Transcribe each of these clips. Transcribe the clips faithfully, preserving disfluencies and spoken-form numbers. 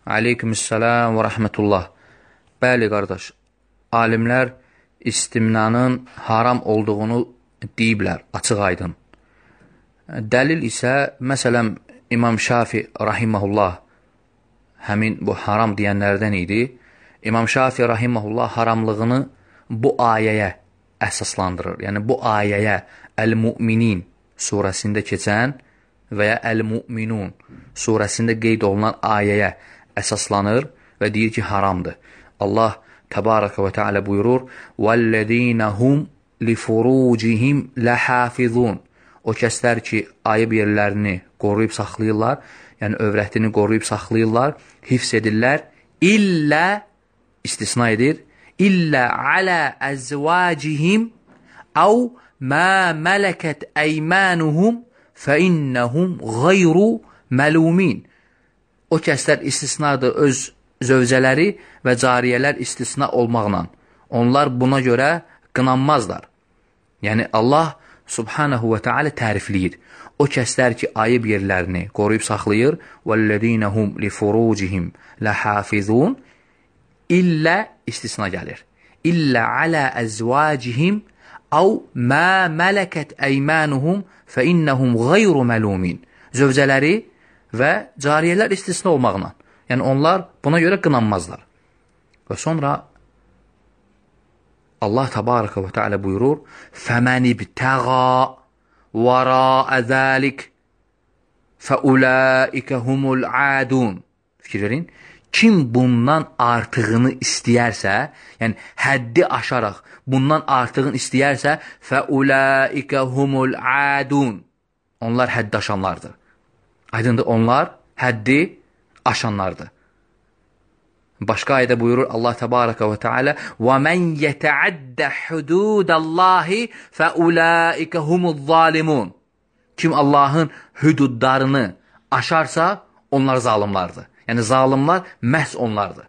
Aleykümüssəlam və rəhmətullah. Bəli, qardaş, alimlər istimnanın haram olduğunu deyiblər, açıq aydın. Dəlil isə, məsələn, İmam Şafi rahiməhullah həmin bu haram deyənlərdən idi. İmam Şafi rahiməhullah haramlığını bu ayəyə əsaslandırır. Yəni, bu ayəyə Əl-Mu'minin surəsində keçən və ya Əl-Mu'minun surəsində qeyd olunan ayəyə əsaslanır və deyir ki, haramdır. Allah təbarəkə və teala buyurur: وَالَّذ۪ينَ هُمْ لِفُرُوجِهِمْ لَحَافِظُونَ. O kəslər ki, ayıb yerlərini qoruyub saxlayırlar, yəni övrətini qoruyub saxlayırlar, hifz edirlər, illə, istisna edir, illə alə əzvacihim əv mə mələkət əymənuhum fəinnəhum qayru məlumin. O kəslər istisnadır öz zövcələri və cariyələr istisna olmaqla. Onlar buna görə qınanmazlar. Yəni, Allah subhanahu və teala tərifləyir. O kəslər ki, ayıb yerlərini qoruyub saxlayır, وَالَّذ۪ينَ هُمْ لِفُرُوجِهِمْ لَحَافِظُونَ, illə istisna gəlir. İllə alə əzvacihim əv mə mələkət əymənuhum fəinnəhum qayru məlumin. Zövcələri və cariyələr istisna olmaqla. Yəni, onlar buna görə qınanmazlar. Və sonra Allah təbarəkə və teala buyurur: فَمَنِ ابْتَغَى وَرَاءَ ذَلِكَ فَأُولَٰئِكَ هُمُ الْعَادُونَ. Fikir verin. Kim bundan artığını istəyərsə, yəni həddi aşaraq bundan artığını istəyərsə, فَأُولَٰئِكَ هُمُ الْعَادُونَ. Onlar həddi aşanlardır. Aydındır, onlar həddi aşanlardır. Başqa ayədə buyurur Allah təbarəkə və teala: وَمَنْ يَتَعَدَّ حُدُودَ اللّٰهِ فَأُولَٰئِكَ هُمُ الظَّالِمُونَ. Kim Allahın hüdudlarını aşarsa, onlar zalimlardır. Yəni, zalimlar məhz onlardır.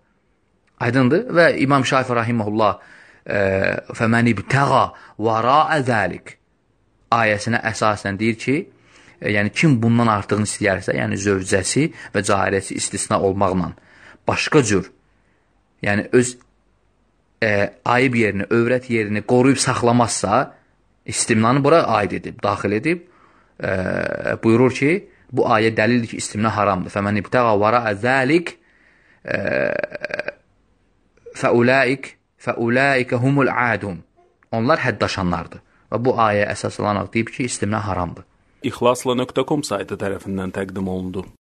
Aydındır. Və İmam Şafi rahiməhullah فَمَنِ ابْتَغَى وَرَاءَ ذَلِكَ ayəsinə əsasən deyir ki, yəni kim bundan artığını istəyərsə, yəni zövcəsi və cariyəsi istisna olmaqla, başqa cür, yəni öz e, ayıb yerini, övrət yerini qoruyub saxlamazsa, istimnanı bura aid edib, daxil edib, e, buyurur ki, bu ayə dəlildir ki, istimna haramdır. فَمَنْ اِبْتَغَى وَرَاءَ ذَلِكَ فَأُولَٰئِكَ فَأُولَٰئِكَ هُمُ الْعَادُونَ. Onlar həddaşanlardır. Və bu ayə əsas olaraq deyib ki, istimna haramdır. İxlasla nöqtə com saytı tərəfindən təqdim olundu.